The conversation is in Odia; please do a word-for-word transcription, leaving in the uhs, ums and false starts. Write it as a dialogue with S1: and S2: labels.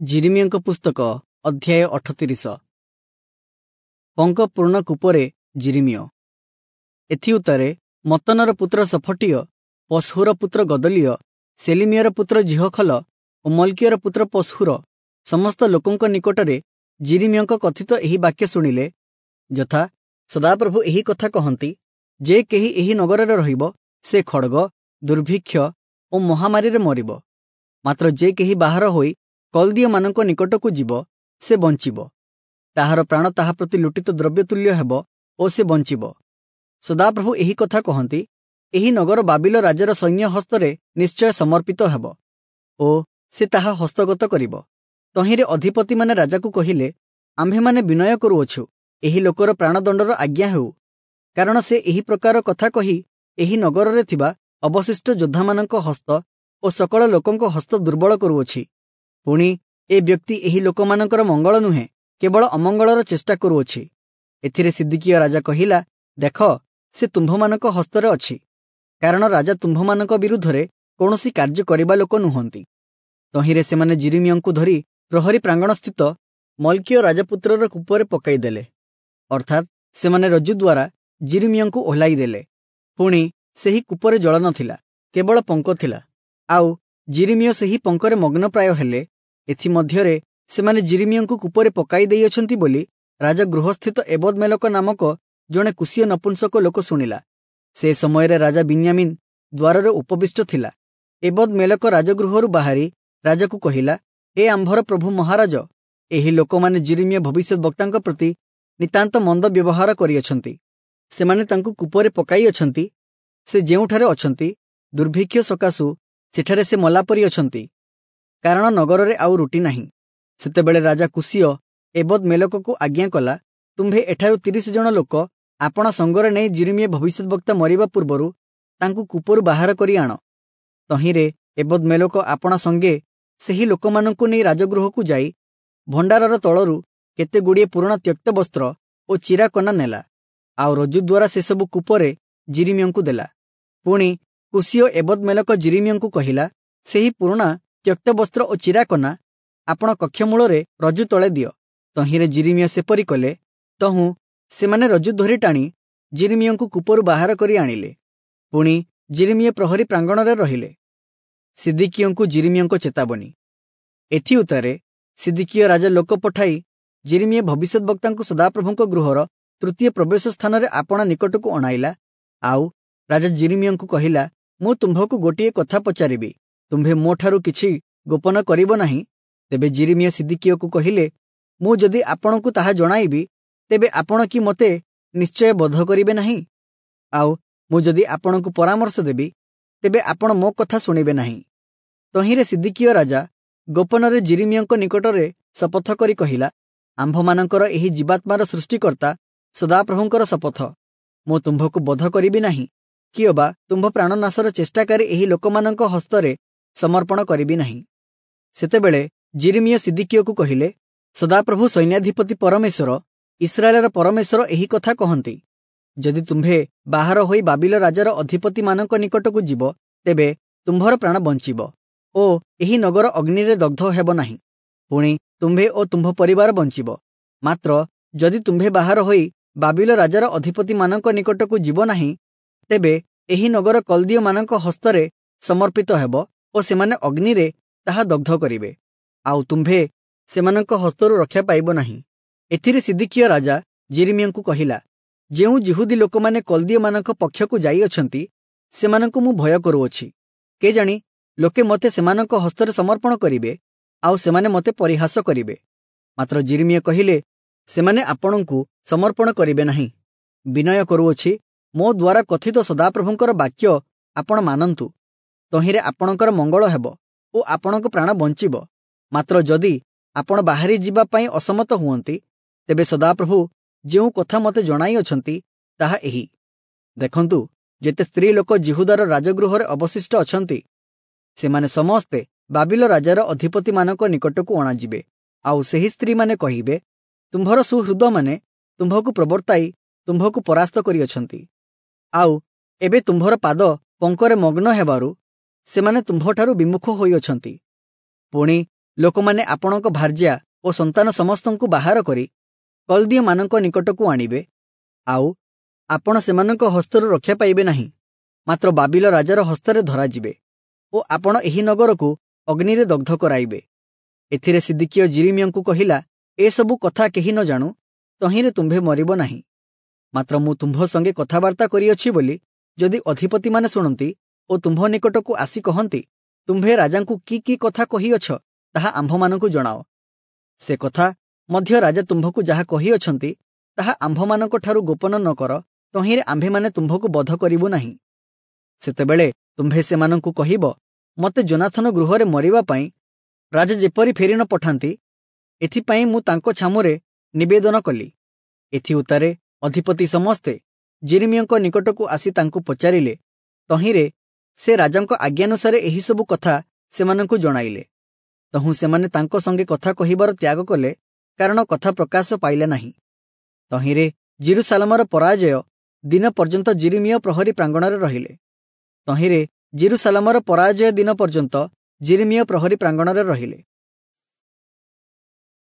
S1: ଯିରିମିୟଙ୍କ ପୁସ୍ତକ ଅଧ୍ୟାୟ ଅଠତିରିଶ। ପଙ୍କପୂର୍ଣ୍ଣ କୂପରେ ଯିରିମିୟ। ଏଥିଉତ୍ତାରେ ମତ୍ତନର ପୁତ୍ର ସଫଟୀୟ, ପଶହୁର ପୁତ୍ର ଗଦଲିୟ, ସେଲିମିୟର ପୁତ୍ର ଯିହଖଲ ଓ ମଲ୍କିୟର ପୁତ୍ର ପଶହୁର ସମସ୍ତ ଲୋକଙ୍କ ନିକଟରେ ଯିରିମିୟଙ୍କ କଥିତ ଏହି ବାକ୍ୟ ଶୁଣିଲେ, ଯଥା ସଦାପ୍ରଭୁ ଏହି କଥା କହନ୍ତି, ଯେ କେହି ଏହି ନଗରରେ ରହିବ ସେ ଖଡ଼ଗ, ଦୁର୍ଭିକ୍ଷ ଓ ମହାମାରୀରେ ମରିବ। ମାତ୍ର ଯେ କେହି ବାହାର ହୋଇ କଲ୍ଦୀୟମାନଙ୍କ ନିକଟକୁ ଯିବ ସେ ବଞ୍ଚିବ, ତାହାର ପ୍ରାଣ ତାହା ପ୍ରତି ଲୁଟିତ ଦ୍ରବ୍ୟ ତୁଲ୍ୟ ହେବ ଓ ସେ ବଞ୍ଚିବ। ସଦାପ୍ରଭୁ ଏହି କଥା କହନ୍ତି, ଏହି ନଗର ବାବିଲ ରାଜାର ସୈନ୍ୟ ହସ୍ତରେ ନିଶ୍ଚୟ ସମର୍ପିତ ହେବ ଓ ସେ ତାହା ହସ୍ତଗତ କରିବ। ତହିଁରେ ଅଧିପତିମାନେ ରାଜାକୁ କହିଲେ, ଆମ୍ଭେମାନେ ବିନୟ କରୁଅଛୁ, ଏହି ଲୋକର ପ୍ରାଣଦଣ୍ଡର ଆଜ୍ଞା ହେଉ, କାରଣ ସେ ଏହି ପ୍ରକାର କଥା କହି ଏହି ନଗରରେ ଥିବା ଅବଶିଷ୍ଟ ଯୋଦ୍ଧାମାନଙ୍କ ହସ୍ତ ଓ ସକଳ ଲୋକଙ୍କ ହସ୍ତ ଦୁର୍ବଳ କରୁଅଛି। ପୁଣି ଏ ବ୍ୟକ୍ତି ଏହି ଲୋକମାନଙ୍କର ମଙ୍ଗଳ ନୁହେଁ, କେବଳ ଅମଙ୍ଗଳର ଚେଷ୍ଟା କରୁଅଛି। ଏଥିରେ ସିଦିକିୟ ରାଜା କହିଲା, ଦେଖ, ସେ ତୁମ୍ଭମାନଙ୍କ ହସ୍ତରେ ଅଛି, କାରଣ ରାଜା ତୁମ୍ଭମାନଙ୍କ ବିରୁଦ୍ଧରେ କୌଣସି କାର୍ଯ୍ୟ କରିବା ଲୋକ ନୁହନ୍ତି। ତହିଁରେ ସେମାନେ ଯିରିମିୟଙ୍କୁ ଧରି ପ୍ରହରୀ ପ୍ରାଙ୍ଗଣସ୍ଥିତ ମଲ୍କିୟ ରାଜପୁତ୍ରର କୂପରେ ପକାଇଦେଲେ, ଅର୍ଥାତ୍ ସେମାନେ ରଜ୍ଜୁ ଦ୍ୱାରା ଯିରିମିୟଙ୍କୁ ଓହ୍ଲାଇ ଦେଲେ। ପୁଣି ସେହି କୂପରେ ଜଳ ନଥିଲା, କେବଳ ପଙ୍କ ଥିଲା, ଆଉ ଯିରିମିୟ ସେହି ପଙ୍କରେ ମଗ୍ନପ୍ରାୟ ହେଲେ। ଏଥିମଧ୍ୟରେ ସେମାନେ ଯିରିମିୟଙ୍କୁ କୂପରେ ପକାଇ ଦେଇଅଛନ୍ତି ବୋଲି ରାଜଗୃହସ୍ଥିତ ଏବଦମେଲକ ନାମକ ଜଣେ କୁଶୀୟ ନପୁଂସକ ଲୋକ ଶୁଣିଲା। ସେ ସମୟରେ ରାଜା ବିନ୍ୟାମିନ୍ ଦ୍ୱାରରେ ଉପବିଷ୍ଟ ଥିଲା। ଏବଦମେଲକ ରାଜଗୃହରୁ ବାହାରି ରାଜାକୁ କହିଲା, ହେ ଆମ୍ଭର ପ୍ରଭୁ ମହାରାଜ, ଏହି ଲୋକମାନେ ଯିରିମିୟ ଭବିଷ୍ୟଦ୍‌ବକ୍ତାଙ୍କ ପ୍ରତି ନିତାନ୍ତ ମନ୍ଦ ବ୍ୟବହାର କରିଅଛନ୍ତି। ସେମାନେ ତାଙ୍କୁ କୂପରେ ପକାଇଅଛନ୍ତି। ସେ ଯେଉଁଠାରେ ଅଛନ୍ତି, ଦୁର୍ଭିକ୍ଷ ସକାଶୁ ସେଠାରେ ସେ ମଲା ପରି ଅଛନ୍ତି, କାରଣ ନଗରରେ ଆଉ ରୁଟି ନାହିଁ। ସେତେବେଳେ ରାଜା କୁଶୀୟ ଏବଦମେଲକକୁ ଆଜ୍ଞା କଲା, ତୁମ୍ଭେ ଏଠାରୁ ତିରିଶ ଜଣ ଲୋକ ଆପଣା ସଙ୍ଗରେ ନେଇ ଯିରିମିୟ ଭବିଷ୍ୟଦ୍‌ବକ୍ତା ମରିବା ପୂର୍ବରୁ ତାଙ୍କୁ କୂପରୁ ବାହାର କରି ଆଣ। ତହିଁରେ ଏବଦମେଲକ ଆପଣା ସଙ୍ଗେ ସେହି ଲୋକମାନଙ୍କୁ ନେଇ ରାଜଗୃହକୁ ଯାଇ ଭଣ୍ଡାରର ତଳରୁ କେତେ ଗୁଡ଼ିଏ ପୁରୁଣା ତ୍ୟକ୍ତ ବସ୍ତ୍ର ଓ ଚିରା କନା ନେଲା, ଆଉ ରଜ୍ଜୁ ଦ୍ୱାରା ସେସବୁ କୂପରେ ଯିରିମିୟଙ୍କୁ ଦେଲା। ପୁଣି କୁଶୀୟ ଏବଦମେଲକ ଯିରିମିୟଙ୍କୁ କହିଲା, ସେହି ପୁରୁଣା ତ୍ୟକ୍ତ ବସ୍ତ୍ର ଓ ଚିରା କନା ଆପଣ କକ୍ଷମୂଳରେ ରଜ୍ଜୁ ତଳେ ଦିଅ। ତହିଁରେ ଯିରିମିୟ ସେପରି କଲେ। ତହୁଁ ସେମାନେ ରଜ୍ଜୁ ଧରି ଟାଣି ଯିରିମିୟଙ୍କୁ କୂପରୁ ବାହାର କରି ଆଣିଲେ। ପୁଣି ଯିରିମିୟ ପ୍ରହରୀ ପ୍ରାଙ୍ଗଣରେ ରହିଲେ। ସିଦିକିୟଙ୍କୁ ଯିରିମିୟଙ୍କ ଚେତାବନୀ। ଏଥିଉତ୍ତାରେ ସିଦିକିୟ ରାଜା ଲୋକ ପଠାଇ ଯିରିମିୟ ଭବିଷ୍ୟଦ୍‌ବକ୍ତାଙ୍କୁ ସଦାପ୍ରଭୁଙ୍କ ଗୃହର ତୃତୀୟ ପ୍ରବେଶ ସ୍ଥାନରେ ଆପଣା ନିକଟକୁ ଅଣାଇଲା। ଆଉ ରାଜା ଯିରିମିୟଙ୍କୁ କହିଲା, ମୁଁ ତୁମ୍ଭକୁ ଗୋଟିଏ କଥା ପଚାରିବି, ତୁମ୍ଭେ ମୋଠାରୁ କିଛି ଗୋପନ କରିବ ନାହିଁ। ତେବେ ଯିରିମିୟ ସିଦିକିୟକୁ କହିଲେ, ମୁଁ ଯଦି ଆପଣଙ୍କୁ ତାହା ଜଣାଇବି, ତେବେ ଆପଣ କି ମୋତେ ନିଶ୍ଚୟ ବଧ କରିବେ ନାହିଁ? ଆଉ ମୁଁ ଯଦି ଆପଣଙ୍କୁ ପରାମର୍ଶ ଦେବି, ତେବେ ଆପଣ ମୋ କଥା ଶୁଣିବେ ନାହିଁ। ତହିଁରେ ସିଦିକିୟ ରାଜା ଗୋପନରେ ଯିରିମିୟଙ୍କ ନିକଟରେ ଶପଥ କରି କହିଲା, ଆମ୍ଭମାନଙ୍କର ଏହି ଜୀବାତ୍ମାର ସୃଷ୍ଟିକର୍ତ୍ତା ସଦାପ୍ରଭୁଙ୍କର ଶପଥ, ମୁଁ ତୁମ୍ଭକୁ ବଧ କରିବି ନାହିଁ, କିଅବା ତୁମ୍ଭ ପ୍ରାଣନାଶର ଚେଷ୍ଟାକାରୀ ଏହି ଲୋକମାନଙ୍କ ହସ୍ତରେ ସମର୍ପଣ କରିବି ନାହିଁ। ସେତେବେଳେ ଯିରିମିୟ ସିଦିକିୟକୁ କହିଲେ, ସଦାପ୍ରଭୁ ସୈନ୍ୟାଧିପତି ପରମେଶ୍ୱର, ଇସ୍ରାଏଲର ପରମେଶ୍ୱର ଏହି କଥା କହନ୍ତି, ଯଦି ତୁମ୍ଭେ ବାହାର ହୋଇ ବାବିଲ ରାଜାର ଅଧିପତିମାନଙ୍କ ନିକଟକୁ ଯିବ, ତେବେ ତୁମ୍ଭର ପ୍ରାଣ ବଞ୍ଚିବ ଓ ଏହି ନଗର ଅଗ୍ନିରେ ଦଗ୍ଧ ହେବ ନାହିଁ। ପୁଣି ତୁମ୍ଭେ ଓ ତୁମ୍ଭ ପରିବାର ବଞ୍ଚିବ। ମାତ୍ର ଯଦି ତୁମ୍ଭେ ବାହାର ହୋଇ ବାବିଲ ରାଜାର ଅଧିପତିମାନଙ୍କ ନିକଟକୁ ଯିବ ନାହିଁ, ତେବେ ଏହି ନଗର କଲ୍ଦୀୟମାନଙ୍କ ହସ୍ତରେ ସମର୍ପିତ ହେବ ଓ ସେମାନେ ଅଗ୍ନିରେ ତାହା ଦଗ୍ଧ କରିବେ, ଆଉ ତୁମ୍ଭେ ସେମାନଙ୍କ ହସ୍ତରୁ ରକ୍ଷା ପାଇବ ନାହିଁ। ଏଥିରେ ସିଦିକିୟ ରାଜା ଯିରିମିୟଙ୍କୁ କହିଲା, ଯେଉଁ ଯିହୁଦୀ ଲୋକମାନେ କଲ୍ଦୀୟମାନଙ୍କ ପକ୍ଷକୁ ଯାଇଅଛନ୍ତି, ସେମାନଙ୍କୁ ମୁଁ ଭୟ କରୁଅଛି। କେଜାଣି ଲୋକେ ମୋତେ ସେମାନଙ୍କ ହସ୍ତରେ ସମର୍ପଣ କରିବେ, ଆଉ ସେମାନେ ମୋତେ ପରିହାସ କରିବେ। ମାତ୍ର ଯିରିମିୟ କହିଲେ, ସେମାନେ ଆପଣଙ୍କୁ ସମର୍ପଣ କରିବେ ନାହିଁ। ବିନୟ କରୁଅଛି, ମୋ ଦ୍ୱାରା କଥିତ ସଦାପ୍ରଭୁଙ୍କର ବାକ୍ୟ ଆପଣ ମାନନ୍ତୁ, ତହିଁରେ ଆପଣଙ୍କର ମଙ୍ଗଳ ହେବ ଓ ଆପଣଙ୍କ ପ୍ରାଣ ବଞ୍ଚିବ। ମାତ୍ର ଯଦି ଆପଣ ବାହାରି ଯିବା ପାଇଁ ଅସମତ ହୁଅନ୍ତି, ତେବେ ସଦାପ୍ରଭୁ ଯେଉଁ କଥା ମୋତେ ଜଣାଇଅଛନ୍ତି ତାହା ଏହି। ଦେଖନ୍ତୁ, ଯେତେ ସ୍ତ୍ରୀ ଲୋକ ଯିହୁଦାର ରାଜଗୃହରେ ଅବଶିଷ୍ଟ ଅଛନ୍ତି, ସେମାନେ ସମସ୍ତେ ବାବିଲ ରାଜାର ଅଧିପତିମାନଙ୍କ ନିକଟକୁ ଅଣାଯିବେ। ଆଉ ସେହି ସ୍ତ୍ରୀମାନେ କହିବେ, ତୁମ୍ଭର ସୁହୃଦମାନେ ତୁମ୍ଭକୁ ପ୍ରବର୍ତ୍ତାଇ ତୁମ୍ଭକୁ ପରାସ୍ତ କରିଅଛନ୍ତି, ଆଉ ଏବେ ତୁମ୍ଭର ପାଦ ପଙ୍କରେ ମଗ୍ନ ହେବାରୁ ସେମାନେ ତୁମ୍ଭଠାରୁ ବିମୁଖ ହୋଇଅଛନ୍ତି। ପୁଣି ଲୋକମାନେ ଆପଣଙ୍କ ଭାର୍ଯ୍ୟା ଓ ସନ୍ତାନ ସମସ୍ତଙ୍କୁ ବାହାର କରି କଲ୍ଦୀୟମାନଙ୍କ ନିକଟକୁ ଆଣିବେ, ଆଉ ଆପଣ ସେମାନଙ୍କ ହସ୍ତରୁ ରକ୍ଷା ପାଇବେ ନାହିଁ, ମାତ୍ର ବାବିଲ ରାଜାର ହସ୍ତରେ ଧରାଯିବେ ଓ ଆପଣ ଏହି ନଗରକୁ ଅଗ୍ନିରେ ଦଗ୍ଧ କରାଇବେ। ଏଥିରେ ସିଦିକିୟ ଯିରିମିୟଙ୍କୁ କହିଲା, ଏସବୁ କଥା କେହି ନ ଜାଣୁ, ତହିଁରେ ତୁମ୍ଭେ ମରିବ ନାହିଁ। ମାତ୍ର ମୁଁ ତୁମ୍ଭ ସଙ୍ଗେ କଥାବାର୍ତ୍ତା କରିଅଛି ବୋଲି ଯଦି ଅଧିପତିମାନେ ଶୁଣନ୍ତି ଓ ତୁମ୍ଭ ନିକଟକୁ ଆସି କହନ୍ତି, ତୁମ୍ଭେ ରାଜାଙ୍କୁ କି କି କଥା କହିଅଛ ତାହା ଆମ୍ଭମାନଙ୍କୁ ଜଣାଅ, ସେ କଥା ମଧ୍ୟ ରାଜା ତୁମ୍ଭକୁ ଯାହା କହିଅଛନ୍ତି ତାହା ଆମ୍ଭମାନଙ୍କଠାରୁ ଗୋପନ ନ କର, ତହିଁରେ ଆମ୍ଭେମାନେ ତୁମ୍ଭକୁ ବଧ କରିବୁ ନାହିଁ। ସେତେବେଳେ ତୁମ୍ଭେ ସେମାନଙ୍କୁ କହିବ, ମୋତେ ଯୋନାଥନ ଗୃହରେ ମରିବା ପାଇଁ ରାଜା ଯେପରି ଫେରି ନ ପଠାନ୍ତି, ଏଥିପାଇଁ ମୁଁ ତାଙ୍କ ଛାମୁରେ ନିବେଦନ କଲି। ଏଥିଉତ୍ତାରେ ଅଧିପତି ସମସ୍ତେ ଯିରିମିୟଙ୍କ ନିକଟକୁ ଆସି ତାଙ୍କୁ ପଚାରିଲେ। ତହିଁରେ ସେ ରାଜାଙ୍କ ଆଜ୍ଞାନୁସାରେ ଏହିସବୁ କଥା ସେମାନଙ୍କୁ ଜଣାଇଲେ। ତହୁଁ ସେମାନେ ତାଙ୍କ ସଙ୍ଗେ କଥା କହିବାର ତ୍ୟାଗ କଲେ, କାରଣ କଥା ପ୍ରକାଶ ପାଇଲା ନାହିଁ। ତହିଁରେ ଯିରୂଶାଲମର ପରାଜୟ ଦିନ ପର୍ଯ୍ୟନ୍ତ ଯିରିମିୟ ପ୍ରହରୀ ପ୍ରାଙ୍ଗଣରେ ରହିଲେ। ତହିଁରେ ଯିରୂଶାଲମର ପରାଜୟ ଦିନ ପର୍ଯ୍ୟନ୍ତ ଯିରିମିୟ ପ୍ରହରୀ ପ୍ରାଙ୍ଗଣରେ ରହିଲେ।